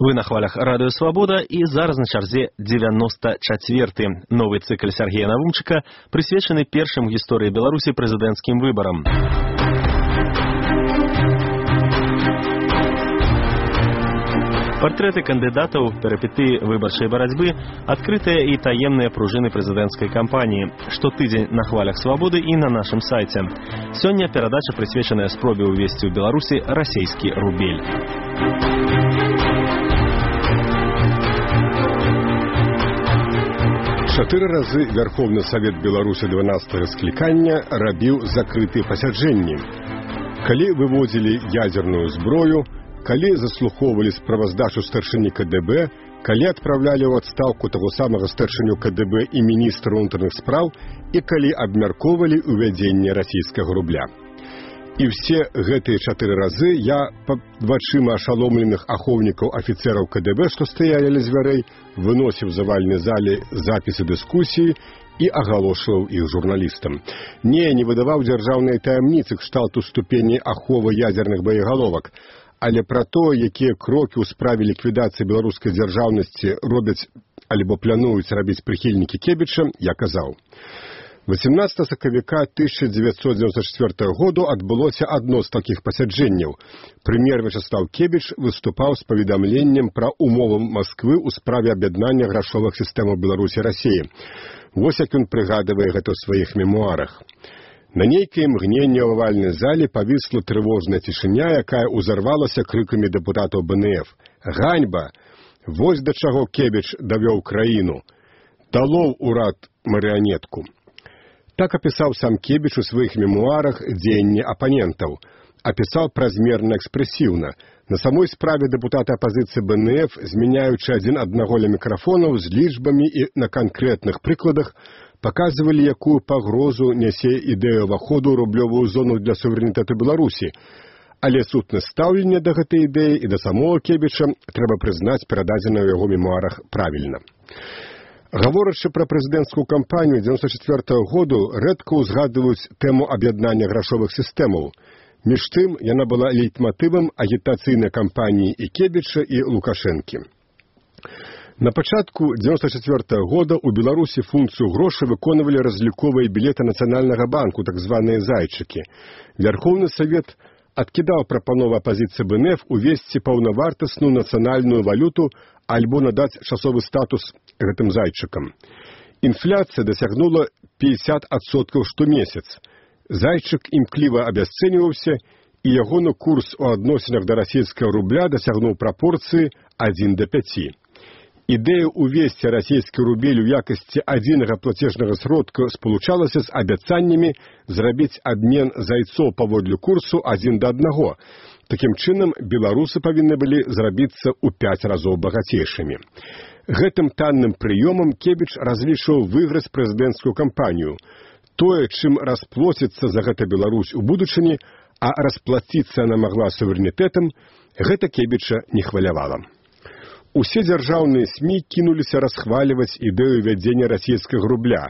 Вы на хвалях Радыё Свабода і зараз на чарзе 94-й. Новы цыкл Сергея Навумчыка прысвечаны першым у гісторыі Беларусі прэзідэнцкім выбарам. Партрэты кандыдатаў, перапетыі выбарчай барацьбы, адкрытыя і таемныя пружыны прэзідэнцкай кампаніі. Штотыдзень на хвалях Свабоды і на нашым сайце. Сёння перадача прысвечаная спробе ўвесці ў Беларусі расейскі рубель. Чатыры разы Верховны Савет Беларусі 12-го склікання рабіў закрытыя пасяджэнні. Калі выводзілі ядзерную зброю, калі заслухоўвалі справаздачу старшыні КДБ, калі адпраўлялі ў адстаўку таго самага старшыню КДБ і міністра ўнутраных спраў, і калі абмяркоўвалі ўвядзенне расійскага рубля. І ўсе гэтыя 4 разы я пад вачыма ашаломленых ахоўнікаў афіцэраў КДБ, што стаялі ля дзвярэй, выносіў завальнай зале запісы дыскусіі і агалошваў іх журналістам. Не выдаваў дзяржаўныя таямніцы кшталту ступені аховы ядзерных боегаловак, але пра тое, якія крокі ў справе ліквідацыі беларускай дзяржаўнасці робяць альбо плануюць рабіць прыхільнікі Кебіча, я казаў. 18 сакавіка 1994 году адбылося адно з такіх пасяджэнняў. Прэм'ер Вячеслав Кебіч выступаў з паведамленнем пра умовы Масквы ў справе аб'яднання грашовых сістэмаў Беларусі і Расіі. Вось як ён прыгадывае гэта ў сваіх мемуарах. На нейкай імгненне ў авальнай зале павісла трывожная цішыня, якая ўзарвалася крыкамі дэпутатаў БНФ. Ганьба! Вось да чаго Кебіч давёў краіну. Далоў урад марыянетку. Так апісаў сам Кебіч у сваіх мемуарах дзеянні апанентаў. Апісаў празмерна экспрэсіўна. На самой справе дэпутаты апазіцыі БНФ, змяняючы адзін аднаго ля мікрафонаў з лічбамі і на канкрэтных прыкладах, паказвалі, якую пагрозу нясе ідэя ўваходу ў рублёвую зону для суверэнітэту Беларусі. Але сутнасць стаўлення да гэтай ідэі і да самого Кебіча, трэба прызнаць, перададзена ў яго мемуарах правільна. Гаворачы пра прэзідэнцкую кампанію 1994 году, рэдка ўзгадваюць тэму аб'яднання грашовых сістэмаў. Між тым, яна была лейтматывам агітацыйнай кампаніі і Кебіча, і Лукашэнкі. На пачатку 1994 года ў Беларусі функцыю грошай выконвалі разліковыя білеты Нацыянальнага банку, так званыя зайчыкі. Верховны Савет адкідаў прапанову апазіцыі БНФ увесці паўнавартасную нацыянальную валюту альбо надаць часовы статус гэтым зайчыкам. Інфляцыя дасягнула 50% штомесяц. Зайчык імкліва абясцэньваўся, і ягоны курс у адносінах да расійскага рубля дасягнуў прапорцыі 1:5. Ідэя ўвесці расійскі рубель у якасці адзінага плацежнага сродка спалучалася з абяцаннямі зрабіць абмен зайцоў паводле курсу 1:1. Такім чынам, беларусы павінны былі зрабіцца ў 5 разоў багацейшымі. Гэтым танным прыёмам Кебіч разлічваў выйграць прэзідэнцкую кампанію. Тое, чым расплоціцца за гэта Беларусь у будучыні, а расплаціцца яна магла суверэнітэтам, гэта Кебіча не хвалявала. Усе дзяржаўныя СМІ кінуліся расхваліваць ідэю вядзення расійскага рубля.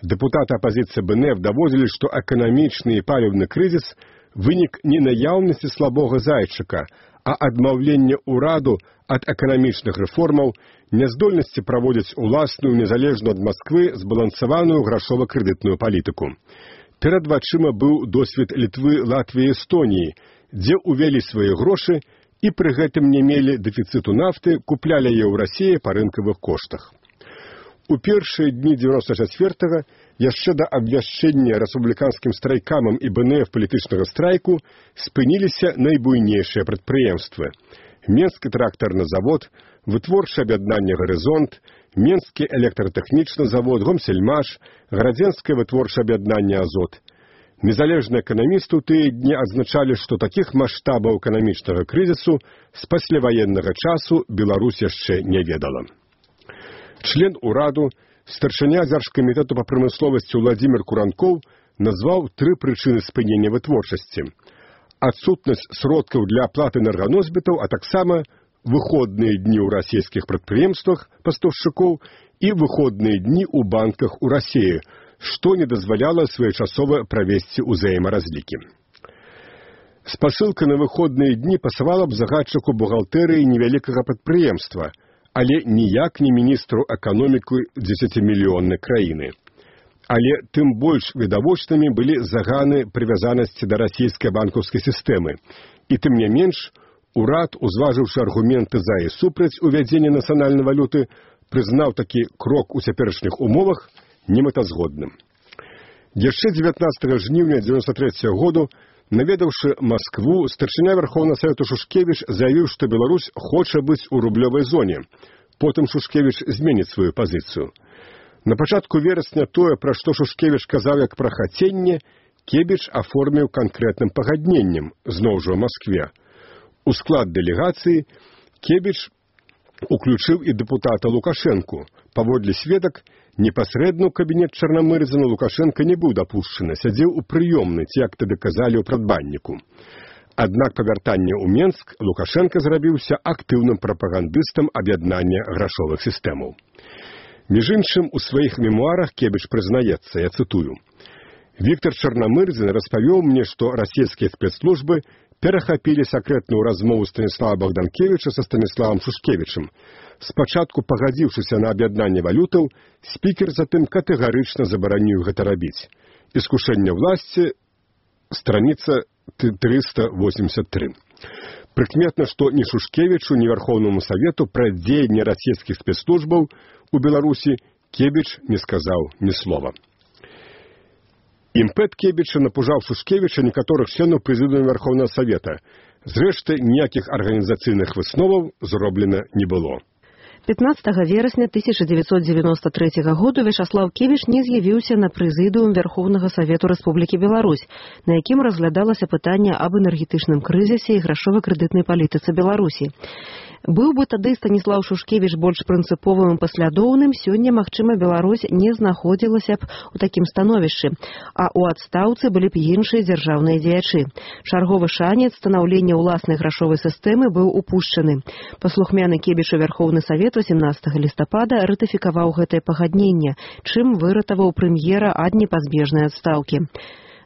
Дэпутаты апазіцыі БНФ даводзілі, што эканамічны і паліўны крызіс вынік не наяўнасці слабога зайчыка, а адмаўлення ўраду ад эканамічных рэформаў, няздольнасці праводзіць уласную, незалежную ад Масквы, збалансаваную грашова-крэдытную палітыку. Перад вачыма быў досвед Літвы, Латвіі і Эстоніі, дзе ўвялі свае грошы і пры гэтым не мелі дэфіцыту нафты, куплялі яе ў Расіі па рынкавых коштах. У першыя дні 94-го, яшчэ да абвяшчэння рэспубліканскім страйкамам і БНФ палітычнага страйку, спыніліся найбуйнейшыя прадпрыемствы. Менскі трактарны завод, вытворчае аб'яднанне «Гарызонт», Менскі электратэхнічны завод, Гомсельмаш, Гарадзенскае вытворчае аб'яднанне «Азот». Незалежныя эканамісты ў тыя дні адзначалі, што такіх маштабаў эканамічнага крызісу з пасляваеннага часу Беларусь яшчэ не ведала. Член ураду, старшыня Дзяржкамітэту па прамысловасці Владзімір Куранкоў назваў 3 прычыны спынення вытворчасці. Адсутнасць сродкаў для аплаты энерганосьбітаў, а таксама выходныя дні ў расійскіх прадпрыемствах пастаўшчыкоў і выходныя дні ў банках у Расіі, што не дазваляла своечасова правесці ўзаемаразлікі. Спасылка на выходныя дні пасавала б загадчыку бухгалтэрыі невялікага прадпрыемства, але ніяк не міністру эканомікі 10-мільённай краіны. Але тым больш відавочнымі былі заганы прывязанасці да расійскай банкаўскай сістэмы. І тым не менш, урад, узважыўшы аргументы за і супраць увядзення нацыянальнай валюты, прызнаў такі крок у цяперашніх умовах немэтазгодным. Яшчэ 19 жніўня 1993 году, наведаўшы Маскву, старшыня Верховнага Савету Шушкевіч заявіў, што Беларусь хоча быць у рублёвай зоне. Потым Шушкевіч зменіць сваю пазіцыю. На пачатку верасня тое, пра што Шушкевіч казаў як пра хаценне, Кебіч аформіў канкрэтным пагадненнем, зноў жа ў Маскве. У склад дэлегацыі Кебіч уключыў і дэпутата Лукашэнку. Паводле сведак, непасрэдна ў кабінет Чарнамырзіна Лукашэнка не быў дапушчаны, сядзеў у прыёмнай, ці як тады казалі ў прадбанніку. Аднак па вяртанні ў Менск Лукашэнка зрабіўся актыўным прапагандыстам аб'яднання грашовых сістэмаў. Між іншым, у сваіх мемуарах Кебіч прызнаецца, я цытую: «Віктор Чарнамырзін распавёў мне, што расійскія спецслужбы перахапілі сакрэтную размову Станіслава Богданкевіча са Станіславам Шушкевічам. Спачатку пагадзіўшыся на аб'яднанне валютаў, спікер затым катэгарычна забараніў гэта рабіць. Іскушэнне ўласці, страніца 383. Прыкметна, што ні Шушкевічу, ні Верховнаму Савету пра дзеянне расійскіх спецслужбаў у Беларусі Кебіч не сказаў ні слова. Імпэт Кебіча напужаў Шушкевіча некаторых членаў прэзідыума Верховнага Савета. Зрэшты, ніякіх арганізацыйных высноваў зроблена не было. 15 верасня 1993 году Вячаслав Кевіч не з'явіўся на прэзідыум Верховнага Савету Рэспублікі Беларусь, на якім разглядалася пытанне аб энергетычным крызісе і грашова-крэдытнай палітыцы Беларусі. Быў бы тады Станіслаў Шушкевіч больш прынцыповым і паслядоўным, сёння, магчыма, Беларусь не знаходзілася б у такім становішчы, а ў адстаўцы былі б іншыя дзяржаўныя дзеячы. Чарговы шанец станаўлення ўласнай грашовай сістэмы быў упушчаны. Паслухмяны Кебічу Верховны Савет 18 лістапада ратыфікаваў гэтае пагадненне, чым выратаваў прэм'ера ад непазбежнай адстаўкі.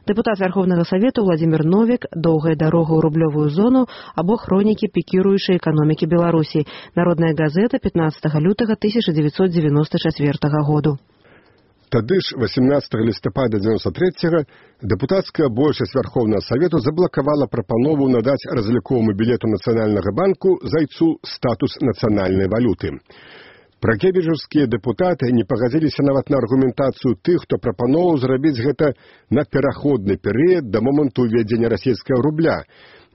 Дэпутат Верховнага Савету Владзімір Новік, «Доўгая дарога ў рублёвую зону» або «Хронікі пікіруючай эканомікі Беларусі». Народная газета 15 лютага 1994 году. Тады ж 18 лістапада 93-го дэпутацкая большасць Верховнага Савету заблакавала прапанову надаць разліковаму білету Нацыянальнага банку зайцу статус нацыянальнай валюты. Пракебіжаўскія дэпутаты не пагадзіліся нават на аргументацыю тых, хто прапановаў зрабіць гэта на пераходны перыяд да моманту ўвядзення расійскага рубля,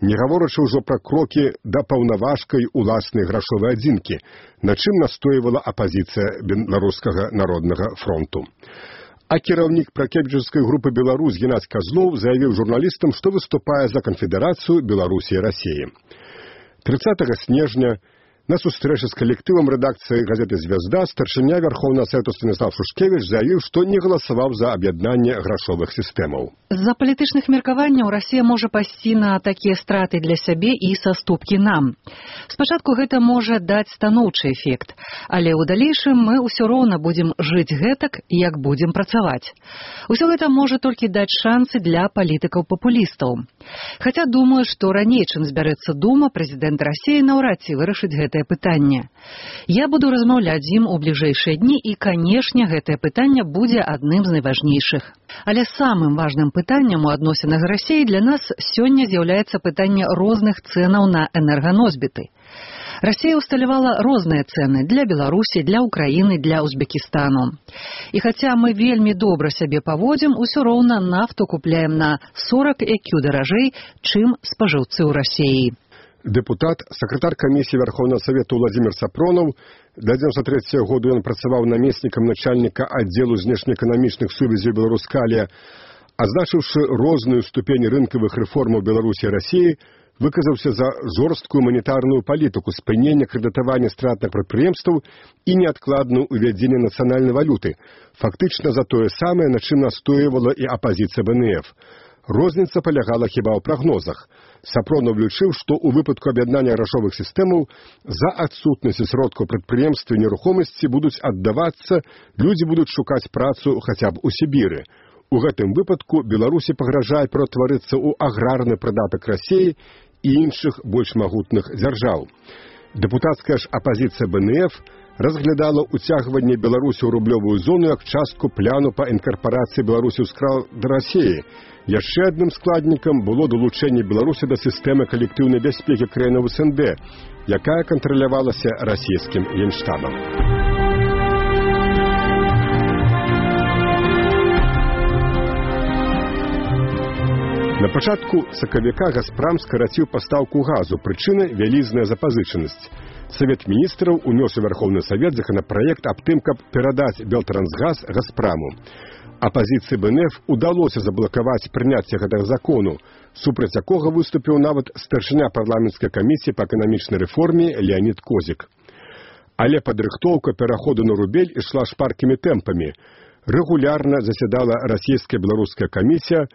не гаворачы ўжо пра крокі да паўнаважкай уласнай грашовай адзінкі, на чым настойвала апазіцыя Беларускага народнага фронту. А кіраўнік пракебіжаўскай групы «Беларусь» Геннадзь Казлоў заявіў журналістам, што выступае за канфедэрацыю Беларусі і Расіі. 30 снежня на сустрэчы з калектывам рэдакцыі газеты «Звезда» старшыня Верховнага Савету Станіслав Шушкевіч заявіў, што не галасаваў за аб'яднанне грашовых сістэмаў. З-за палітычных меркаванняў Расія можа пайсці на такія страты для сябе і саступкі нам. Спачатку гэта можа даць станоўчы эфект, але ў далейшым мы ўсё роўна будзем жыць гэтак, як будзем працаваць. Усё гэта можа толькі даць шансы для палітыкаў-папулістаў. Хаця думаю, што раней, чым збярэцца дума, прэзідэнт Расіі наўрад ці вырашыць гэтае пытанне. Я буду размаўляць з ім у бліжэйшыя дні і, канешне, гэтае пытанне будзе адным з найважнейшых. Але самым важным пытаннем у адносінах Расіі для нас сёння з'яўляецца пытанне розных цэнаў на энерганосьбіты. Расія усталявала розныя цэны для Беларусі, для Украіны, для Узбекістану. І хаця мы вельмі добра сябе паводзім, усё роўна нафту купляем на 40 IQ даражэй, чым спажыўцы ў Расіі. Дэпутат, сакратар камісіі Верховнага Савету Владзімір Сапронаў, да 93 году ён працаваў намеснікам начальніка аддзелу знешнеэканамічных сувязяў Беларускалія, азначыўшы розную ступень рынкавых рэформаў Беларусі і Расіі, выказаўся за жорсткую манетарную палітыку спынення крэдытавання стратных прадпрыемстваў і неадкладную ўвядзенне нацыянальнай валюты, фактычна за тое самае, на чым настойвала і апазіцыя БНФ. Розніца палягала хіба ў прагнозах. Сапронаў лічыў, што ў выпадку аб'яднання грашовых сістэмаў за адсутнасці сродкаў прадпрыемстваў і нерухомасці будуць аддавацца, людзі будуць шукаць працу хаця б у Сібіры. У гэтым выпадку Беларусі пагражае ператварыцца ў аграрны прыдатак Расіі і іншых больш магутных дзяржаў. Дэпутацкая ж апазіцыя БНФ разглядала уцягванне Беларусі ў рублёвую зону як частку пляну па інкарпарацыі Беларусі ў склад Расіі. Яшчэ адным складнікам было далучэнне Беларусі да сістэмы калектыўнай бяспекі краінаў СНД, якая кантралявалася расійскім генштабам. На пачатку сакавіка «Газпрам» скараціў пастаўку газу, прычына – вялізная запазычанасць. Савет міністраў унёс у Верховны Савет законапраект аб тым, каб перадаць Белтрансгаз «Газпраму». Апазіцыі БНФ удалося заблакаваць прыняцце гэтага закону, супраць якога выступіў нават старшыня парламенцкай камісіі па эканамічнай рэформе Леонід Козік. Але падрыхтоўка пераходу на рубель ішла шпаркімі тэмпамі. Рэгулярна засядала расійская беларуская камісія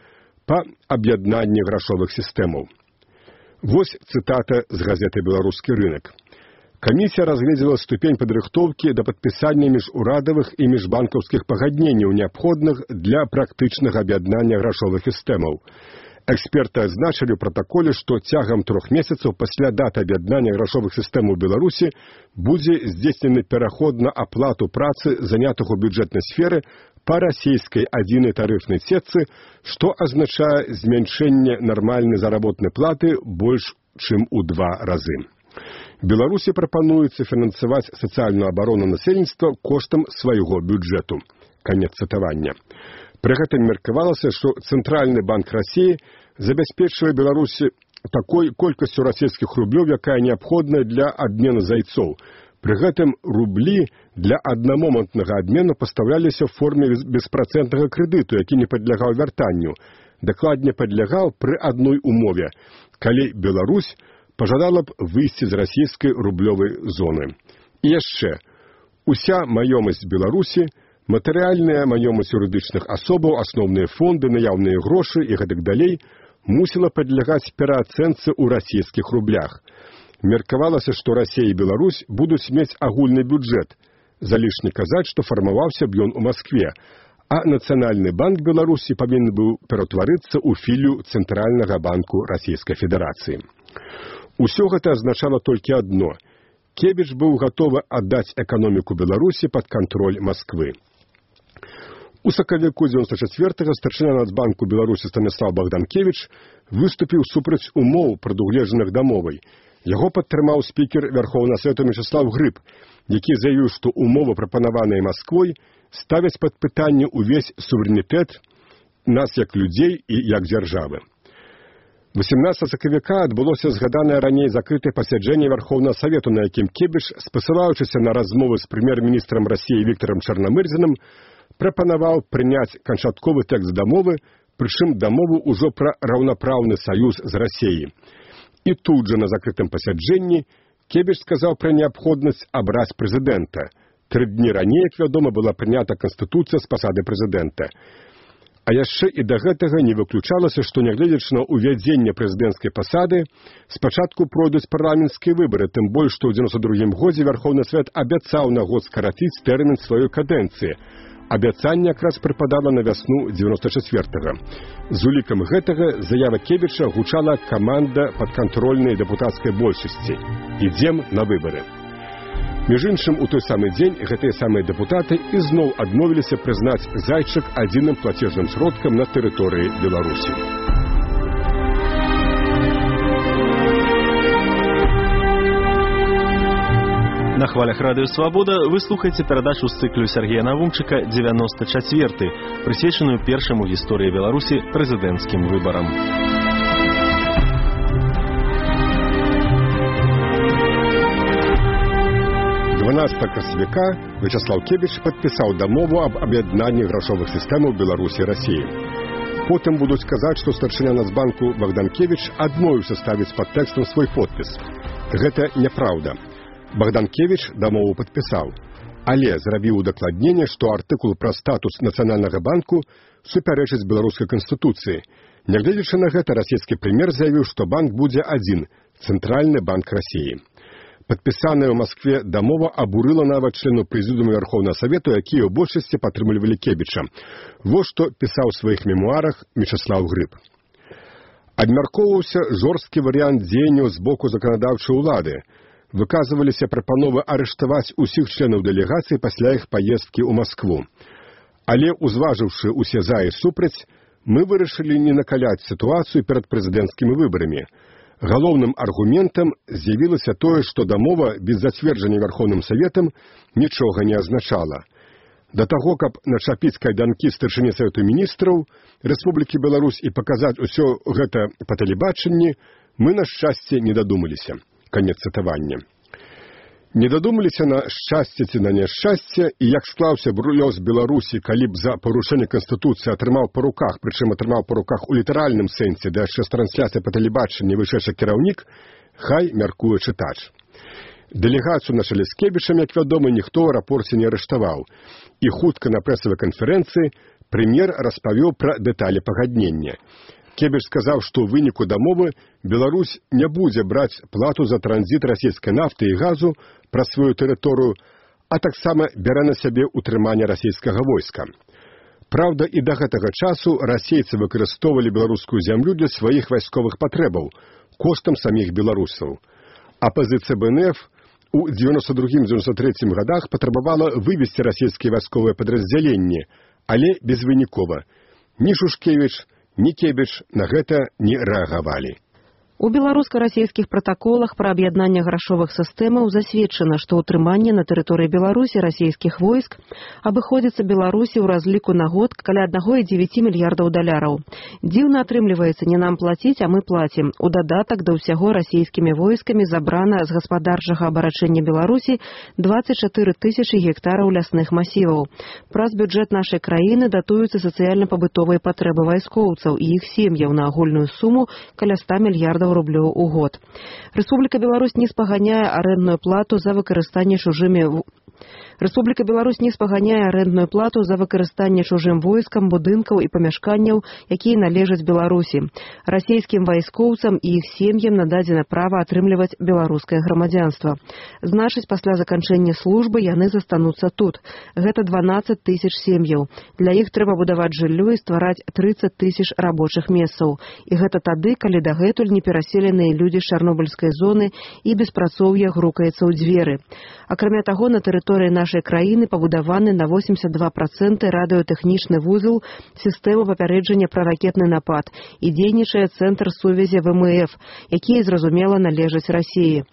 па аб'яднанні грашовых сістэмаў. Вось цытата з газеты «Беларускі рынак». Камісія разгледзела ступень падрыхтоўкі да падпісання міжурадавых і міжбанкаўскіх пагадненняў, неабходных для практычнага аб'яднання грашовых сістэмаў. Эксперты адзначылі ў пратаколе, што цягам 3 месяцаў пасля даты аб'яднання грашовых сістэмаў Беларусі будзе здзейснены пераход на аплату працы, занятых у бюджэтнай сферы, па расійскай адзінай тарыфнай сетцы, што азначае змяншэнне нармальнай заработнай платы больш, чым у 2 разы. Беларусі прапануецца фінансаваць сацыяльную абарону насельніцтва коштам свайго бюджэту. Канец цытавання. Пры гэтым меркавалася, што Цэнтральны банк Расіі забяспечвае Беларусі такой колькасцю расійскіх рублёў, якая неабходная для абмену зайцоў. Пры гэтым рублі для аднамомантнага абмену пастаўляліся ў форме беспрацэнтнага крэдыту, які не падлягаў вяртанню. Дакладней падлягаў пры адной умове, калі Беларусь пажадала б выйсці з расійскай рублёвай зоны. І яшчэ, уся маёмасць Беларусі, матэрыяльная маёмасць юрыдычных асобаў, асноўныя фонды, наяўныя грошы і гэтак далей, мусіла падлягаць пераацэнцы ў расійскіх рублях. Меркавалася, што Расія і Беларусь будуць мець агульны бюджэт. Залішне казаць, што фармаваўся б ён у Маскве, а Нацыянальны банк Беларусі павінен быў ператварыцца ў філію Цэнтральнага банку Расійскай Федэрацыі. Усё гэта азначала толькі адно. Кебіч быў гатовы аддаць эканоміку Беларусі пад кантроль Масквы. У сакавіку 94-го старшыня Нацбанку Беларусі Станіслав Богданкевіч выступіў супраць умоў, прадугледжаных дамовай. Яго падтрымаў спікер Верховнага Савету Мячеслав Грыб, які заявіў, што умовы, прапанаваныя Масквой, ставяць пад пытанне ўвесь суверэнітэт нас як людзей і як дзяржавы. 18 сакавіка адбылося згаданае раней закрытае пасяджэнне Верховнага Савету, на якім Кебіш, спасылаючыся на размовы з прэм'ер-міністрам Расіі Віктарам Чарнамырзіным, прапанаваў прыняць канчатковы тэкст дамовы, прычым дамову ўжо пра раўнапраўны саюз з Расіяй. І тут жа на закрытым пасяджэнні Кебіш сказаў пра неабходнасць абраць прэзідэнта. 3 дні раней, як вядома, была прынята Канстытуцыя з пасады прэзідэнта. А яшчэ і да гэтага не выключалася, што нягледзячы на ўвядзенне прэзідэнцкай пасады, спачатку пройдуць парламенцкія выбары, тым больш, што ў 92-м годзе Верховны Савет абяцаў на год скараціць тэрмін сваёй кадэнцыі. Абяцанне якраз прыпадала на вясну 94-го. З улікам гэтага заява Кебіча гучала каманда падкантрольнай дэпутацкай большасці. Ідзем на выбары. Між іншым, у той самы дзень гэтыя самыя дэпутаты ізноў адмовіліся прызнаць зайчык адзіным плацежным сродкам на тэрыторыі Беларусі. На хвалях Радыё Свабода вы слухаеце перадачу з цыклю Сергея Навумчыка 94, прысвечаную першаму ў гісторыі Беларусі прэзідэнцкім выбарам. Красавіка Вячеслав Кебіч падпісаў дамову аб аб'яднанні грашовых сістэмаў Беларусі і Расіі. Потым будуць казаць, што старшыня Нацбанку Богданкевіч адмовіўся ставіць пад тэкстам свой подпіс. Гэта няпраўда. Богданкевіч дамову падпісаў, але зрабіў удакладненне, што артыкул пра статус Нацыянальнага банку супярэчыць беларускай канстытуцыі. Нягледзячы на гэта, расійскі прэм'ер заявіў, што банк будзе адзін – Цэнтральны банк Расіі. Падпісаная ў Маскве дамова абурыла нават членаў прэзідыума Верховнага Савету, якія ў большасці падтрымлівалі Кебіча. Вось што пісаў у сваіх мемуарах Мечаслаў Грыб. Абмяркоўваўся жорсткі варыянт дзеянняў з боку заканадаўчай улады. Выказваліся прапановы арыштаваць усіх членаў дэлегацыі пасля іх паездкі ў Маскву. Але, узважыўшы усе за і супраць, мы вырашылі не накаляць сітуацыю перад прэзідэнцкімі выбарамі. Галоўным аргументам з'явілася тое, што дамова без зацверджання Верховным Саветам нічога не азначала. Да таго, каб начапіць кайданкі старшыні Савету міністраў Рэспублікі Беларусь і паказаць усё гэта па тэлебачанні, мы, на шчасце, не дадумаліся. Канец цытавання. Не дадумаліся на шчасце ці на няшчасце, і як склаўся лёс Беларусі, калі б за парушэнне Канстытуцыі атрымаў па руках, прычым атрымаў па руках у літаральным сэнсе, да яшчэ з трансляцыяй па тэлебачанні вышэйшы кіраўнік, хай мяркуе чытач. Дэлегацыю на чале з Кебічам, як вядома, ніхто ў аэрапорце не арыштаваў. І хутка на прэсавай канферэнцыі прэм'ер распавёў пра дэталі пагаднення. Кебіч сказаў, што ў выніку дамовы Беларусь не будзе браць плату за транзіт расійскай нафты і газу праз сваю тэрыторыю, а таксама бярэ на сябе ўтрыманне расійскага войска. Праўда, і да гэтага часу расейцы выкарыстоўвалі беларускую зямлю для сваіх вайсковых патрэбаў, коштам саміх беларусаў. Апазіцыя БНФ у 92-93 годах патрабавала вывесці расійскія вайсковыя падраздзяленні, але безвынікова. Ні Шушкевіч, ні Кебіч на гэта не рэагавалі. У беларуска-расійскіх пратаколах пра аб'яднанне грашовых сістэмаў засведчана, што ўтрыманне на тэрыторыі Беларусі расійскіх войск абыходзіцца Беларусі ў разліку на год каля 1,9 мільярдаў даляраў. Дзіўна атрымліваецца, не нам плаціць, а мы плацім. У дадатак да ўсяго расійскімі войскамі забрана з гаспадарчага абарачэння Беларусі 24 тысячы гектараў лясных масіваў. Праз бюджэт нашай краіны датуюцца сацыяльна-пабытовыя патрэбы вайскоўцаў і іх сем'яў на агульную суму каля 100 мільярдаў рублёў у год. Рэспубліка Беларусь не спаганяе арэндную плату за выкарыстанне чужымі Рэспубліка Беларусь не спаганяе арэндную плату за выкарыстанне чужым войскам, будынкаў і памяшканняў, якія належаць Беларусі. Расійскім вайскоўцам і іх сем'ям нададзена права атрымліваць беларускае грамадзянства. Значыць, пасля заканчэння службы яны застануцца тут. Гэта 12 тысяч сем'яў. Для іх трэба будаваць жыллё і ствараць 30 тысяч рабочых месцаў. І гэта тады, калі дагэтуль непераселеныя людзі з чарнобыльскай зоны і беспрацоўе грукаецца ў дзверы. Акрамя таго, на тэрыторыі нашай краіны пабудаваны на 82% радыётэхнічны вузел сістэмы папярэджання пра ракетны напад і дзейнічае цэнтр сувязі ВМФ, якія, зразумела, належаць Расіі.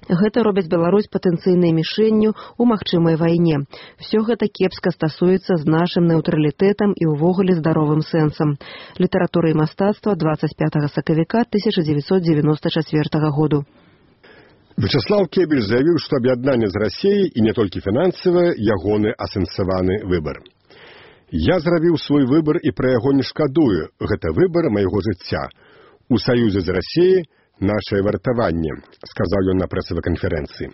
Гэта робяць Беларусь патэнцыйнай мішэнню ў магчымай вайне. Всё гэта кепска стасуецца з нашым нейтралітэтам і ўвогуле здаровым сэнсам. Літаратура і мастацтва 25 сакавіка 1994 году. Вячаслаў Кебіч заявіў, што аб'яднанне з Расіяй і не толькі фінансавае ягоны асэнсаваны выбар. Я зрабіў свой выбар і пра яго не шкадую. Гэта выбар майго жыцця. У саюзе з Расіяй нашае вартаванне, сказаў ён на прэсавай канферэнцыі.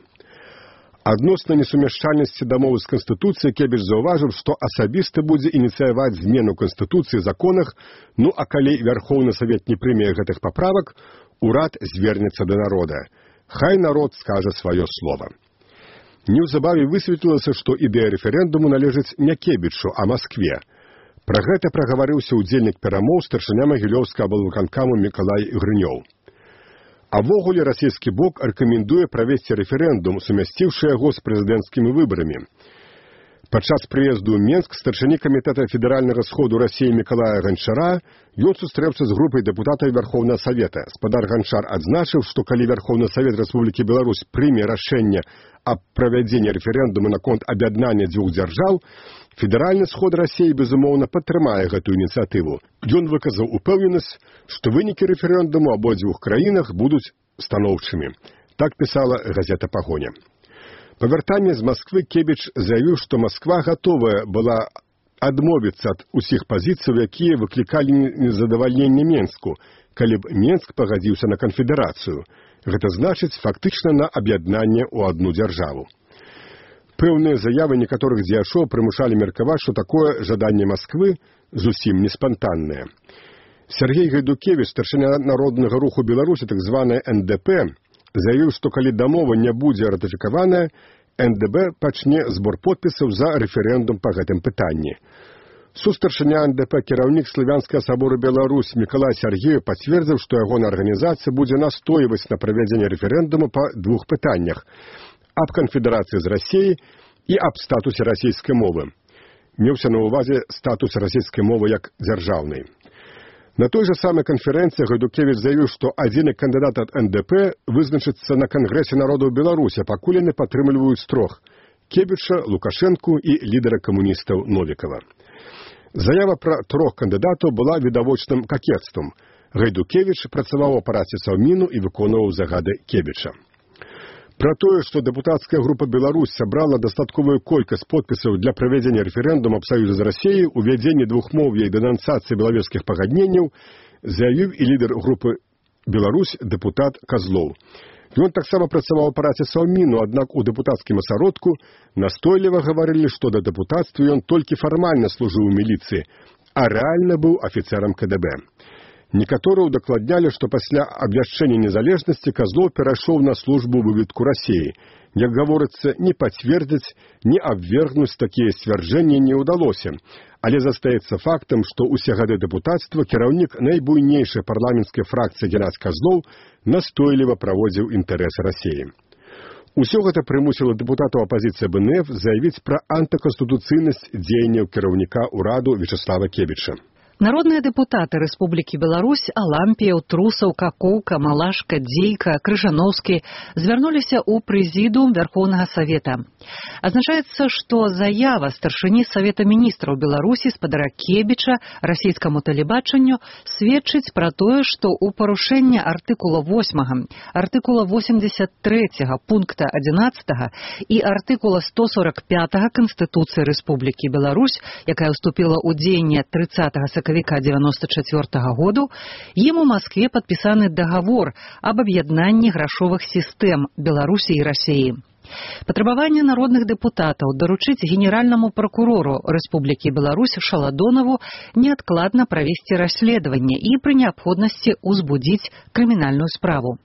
Адносна несумяшчальнасці дамовы з Канстытуцыяй Кебіч заўважыў, што асабіста будзе ініцыяваць змену Канстытуцыі законах, а калі Верховны Савет не прыме гэтых паправак, урад звернецца да народа. Хай народ скажа сваё слова. Неўзабаве высветлілася, што ідэя рэферэндуму належыць не Кебічу, а Маскве. Пра гэта прагаварыўся ўдзельнік перамоў старшыня Магілёўскага аблвыканкаму Мікалай Грынёў. А ввогуле расійскі бок рэкамендуе правесці рэферэндум, сумясціўшы яго з прэзідэнцкімі выбарамі. Падчас прыезду ў Менск старшыні камітэта федэральнага сходу Расіі Мікалая Ганчара ён сустрэўся з групай дэпутатаў Верховнага Савета. Спадар Ганчар адзначыў, што калі Верховны Савет Рэспублікі Беларусь прыме рашэнне аб правядзенні рэферэндуму наконт аб'яднання дзвюх дзяржаў, федэральны сход Расіі, безумоўна, падтрымае гэтую ініцыятыву. Ён выказаў упэўненасць, што вынікі рэферэндуму ў абодвух краінах будуць станоўчымі. Так пісала газета «Пагоня». Па вяртанні з Масквы Кебіч заявіў, што Масква гатовая была адмовіцца ад усіх пазіцыяў, якія выклікалі незадавальненне Менску, калі б Менск пагадзіўся на канфедэрацыю. Гэта значыць фактычна на аб'яднанне ў адну дзяржаву. Пэўныя заявы некаторых дзеячоў прымушалі меркаваць, што такое жаданне Масквы зусім не спантаннае. Сергей Гайдукевіч, старшыня народнага руху Беларусі, так званая НДП, заявіў, што калі дамова не будзе ратыфікаваная, НДБ пачне збор подпісаў за рэферэндум па гэтым пытанні. Сустаршыня НДП кіраўнік Славянскага сабору Беларусь Мікалай Сяргеев пацвердзіў, што ягоная арганізацыя будзе настойваць на правядзенне рэферэндуму па двух пытаннях: аб канфедэрацыі з Расіяй і аб статусе расійскай мовы. Меўся на ўвазе статус расійскай мовы як дзяржаўнай. На той же самой конференции Гайдукевич заявил, что адзіны кандидат от НДП вызначыцца на Конгрессе народов Беларуси, пакуль яны падтрымліваюць трох – Кебіча, Лукашенку и лидера коммунистов Новикова. Заява про трох кандидатов была відавочным какетством. Гайдукевич працаваў у апараце Саўміну и выконваў загады Кебіча. Про тое, што дэпутацкая група «Беларусь» сабрала дастатковую колькасць подпісаў для правядзення рэферэндума аб саюзе з Расіяй, увядзенні двухмоўя і дэнансацыі белавежскіх пагадненняў, заявіў і лідар групы «Беларусь» дэпутат Казлоў. Ён таксама працаваў у апараце Саўміну, аднак у дэпутацкім асяродку настойліва гаварылі, што да дэпутацтва ён толькі фармальна служыў у міліцыі, а рэальна быў афіцэрам КДБ. Некаторыя удакладнялі, што пасля абвяшчэння незалежнасці Казлоў перайшоў на службу ў выведку Расіі. Як гаворыцца, ні пацвердзіць, ні абвергнуць такія сцвярджэнні не ўдалося. Але застаецца фактам, што ўсе гады дэпутацтва кіраўнік найбуйнейшай парламенцкай фракцыі Геннадзь Казлоў настойліва праводзіў інтарэсы Расіі. Усё гэта прымусіла дэпутатаў апазіцыі БНФ заявіць пра антыканстытуцыйнасць дзеянняў кіраўніка ўраду Вячеслава Кебіча. Народные депутаты Республики Беларусь Алампіяў, Трусаў, Какоўка, Малашка, Дзейка, Крыжановскі звярнуліся ў прэзідыум Верховнага Савета. Азначаецца, што заява старшыні Савета міністраў Беларусі спадара Кебіча расійскаму тэлебачанню сведчыць пра тое, што ў парушэнне артыкула 8, артыкула 83 пункта 11 і артыкула 145 Канстытуцыі Рэспублікі Беларусь, якая ўступіла ў дзеянне 30 сакавіка 94 году, ім у Маскве падпісаны дагавор аб аб'яднанні грашовых сістэм Беларусі і Расіі. Патрабаванне народных дэпутатаў даручыць генеральнаму пракурору Рэспублікі Беларусь Шаладонаву неадкладна правесці расследаванне і пры неабходнасці ўзбудзіць крымінальную справу.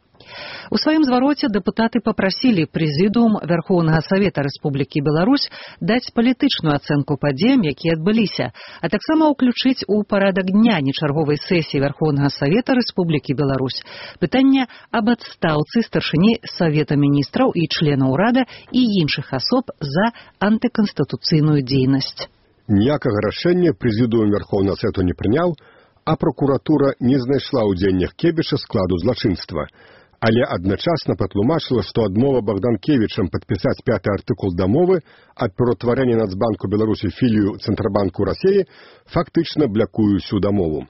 У сваім звароце дэпутаты папрасілі прэзідыум Верховнага Савета Рэспублікі Беларусь даць палітычную ацэнку падзеям, якія адбыліся, а таксама ўключыць у парадак дня нечарговай сесіі Верховнага Савета Рэспублікі Беларусь пытанне аб адстаўцы старшыні Савета міністраў і членаў урада і іншых асоб за антыканстытуцыйную дзейнасць. Ніякага рашэння прэзідыум Верховнага Савета не прыняў, а прокуратура не знайшла ў дзеяннях Кебіча складу злачынства. Але адначасна патлумачыла, што адмова Богданкевічам падпісаць 5-й артыкул дамовы аб пераўтварэнні Нацбанку Беларусі філію Цэнтрабанку Расіі фактычна блякуе ўсю дамову.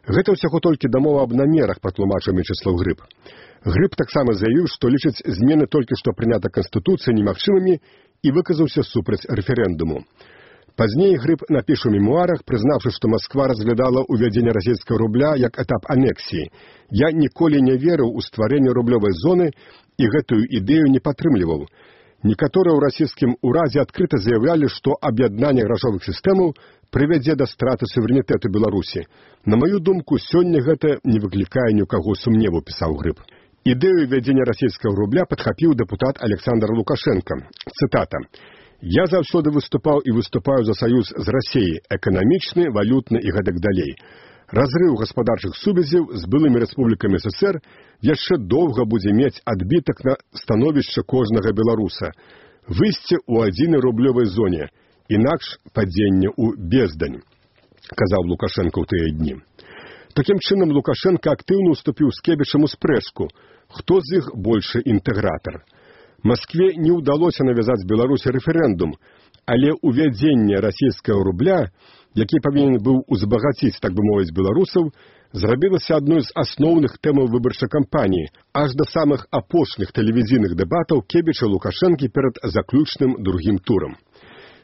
Гэта ўсяго толькі дамова аб намерах, патлумачыў Мячеслаў Грыб. Грыб таксама заявіў, што лічыць змены толькі што прынята Канстытуцыяй немагчымымі і выказаўся супраць рэферэндуму. Пазней Грыб напіша ў мемуарах, прызнаўшы, што Масква разглядала ўвядзенне расійскага рубля як этап анексіі. Я ніколі не верыў у стварэнне рублёвай зоны і гэтую ідэю не падтрымліваў. Некаторыя ў расійскім уразе адкрыта заявлялі, што аб'яднанне грашовых сістэмаў прывядзе да страты суверэнітэту Беларусі. На маю думку, сёння гэта не выклікае ні ў каго сумневу, пісаў Грыб. Ідэю ввядзення расійскага рубля падхапіў дэпутат Александр Лукашенко. Цытата. «Я заўсёды выступаў і выступаю за саюз з Расіяй, эканамічны, валютны і гэтак далей. Разрыў гаспадарчых сувязяў з былымі рэспублікамі СССР яшчэ доўга будзе мець адбітак на становішча кожнага беларуса. Выйсце ў адзінай рублёвай зоне, інакш падзенне ў бездань», казаў Лукашенко ў тыя дні. Такім чынам Лукашенко актыўна ўступіў з Кебічам у спрэчку, хто з іх большы інтэгратар. Маскве не ўдалося навязаць Беларусі рэферэндум, але увядзенне расійскага рубля, які павінен быў узбагаціць, так бы мовіць, беларусаў, зрабілася адной з асноўных тэмаў выбарчай кампаніі, аж да самых апошніх тэлевізійных дэбатаў Кебіча Лукашэнкі перад заключным другім турам.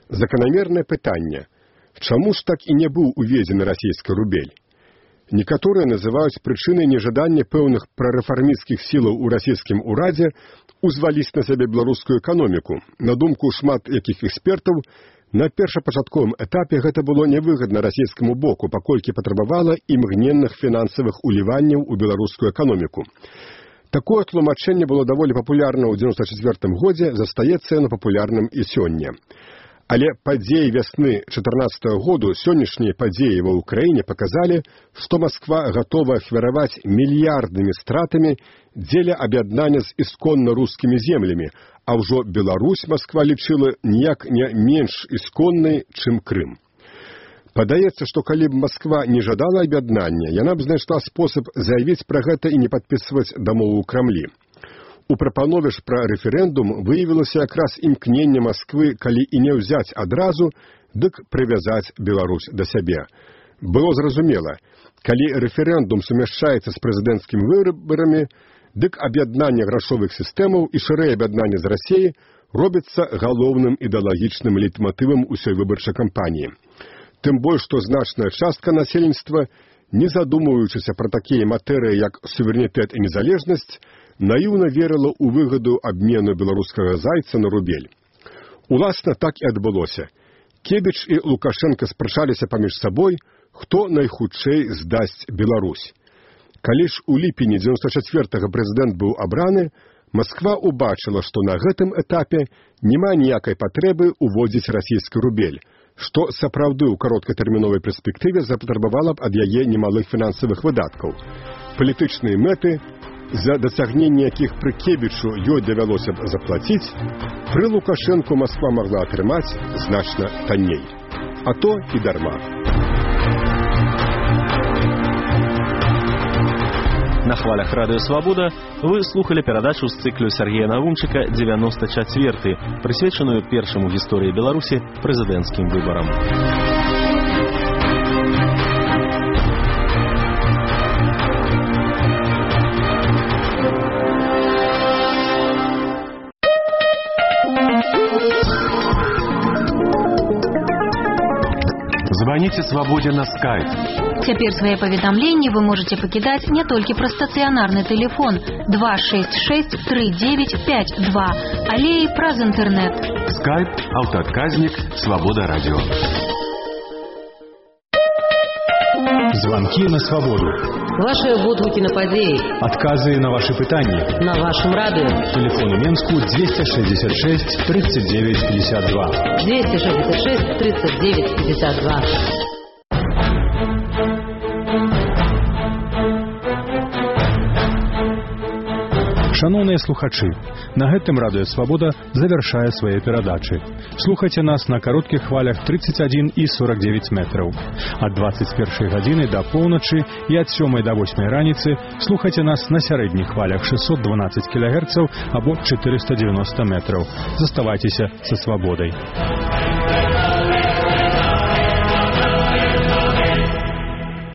Заканамернае пытанне: чаму ж так і не быў уведзены расійскі рубель? Некаторыя называюць прычынай нежадання пэўных прарэфармісцкіх сілаў у расійскім урадзе узваліць на сябе беларускую эканоміку. На думку шмат якіх экспертаў, на першапачатковым этапе гэта было невыгадна расійскаму боку, паколькі патрабавала імгненных фінансавых уліванняў у беларускую эканоміку. Такое тлумачэнне было даволі папулярна ў 94 годзе, застаецца яно папулярным і сёння. Але падзеі вясны 14 году, сённяшнія падзеі ва ўкраіне паказалі, што Масква гатова ахвяраваць мільярднымі стратамі дзеля аб'яднання з ісконна рускімі землямі, а ўжо Беларусь Масква лічыла ніяк не менш ісконнай, чым Крым. Падаецца, што калі б Масква не жадала аб'яднання, яна б знайшла спосаб заявіць пра гэта і не падпісваць дамову ў Крамлі. У прапанове ж пра рэферэндум выявілася якраз імкненне Масквы, калі і не ўзяць адразу, дык прывязаць Беларусь да сябе. Было зразумела, калі рэферэндум сумяшчаецца з прэзідэнцкімі выбарамі, дык аб'яднанне грашовых сістэмаў і шырэй аб'яднанне з Расіяй робіцца галоўным ідэалагічным лейтматывам усёй выбарчай кампаніі. Тым больш, што значная частка насельніцтва, не задумваючыся пра такія матэрыі, як суверэнітэт і незалежнасць, наіўна верыла ў выгаду абмену беларускага зайца на рубель. Уласна, так і адбылося. Кебіч і Лукашенка спрачаліся паміж сабой, хто найхутчэй здасць Беларусь. Калі ж у ліпені 94-го прэзідэнт быў абраны, Масква убачыла, што на гэтым этапе няма ніякай патрэбы ўводзіць расійскі рубель, што сапраўды ў кароткатэрміновай перспектыве запатрабавала б ад яе немалых фінансавых выдаткаў. Палітычныя мэты, за дасягненне якіх пры Кебічу ёй давялося б заплаціць, пры Лукашэнку Масква магла атрымаць значна танней. А то і дарма. На хвалях Радыё Свабода вы слухали перадачу з цыклю Сергея Навумчыка «94», прысвечаную першаму ў гісторыі Беларусі прэзідэнцкім выбарам. Звоните «Свободе» на Skype. Цяпер свае паведамленні вы можете пакідаць не толькі праз стацыянарны тэлефон 266-3952, але і праз інтэрнэт. Skype, аўтаадказнік, Свобода радио. Звонки на свободу. Ваши водгукі на падзеі. Отказы на ваши пытанні. На вашем радио. Телефон у Менску 266 39 52. 266 39 52. Шановныя слухачы, на гэтым Радыё Свабода завяршае свае перадачы. Слухайце нас на кароткіх хвалях 31 і 49 метраў. Ад 21 гадзіны да поўначы і ад 7 да 8 раніцы слухайце нас на сярэдніх хвалях 612 кГц або 490 метраў. Заставайцеся са свабодай.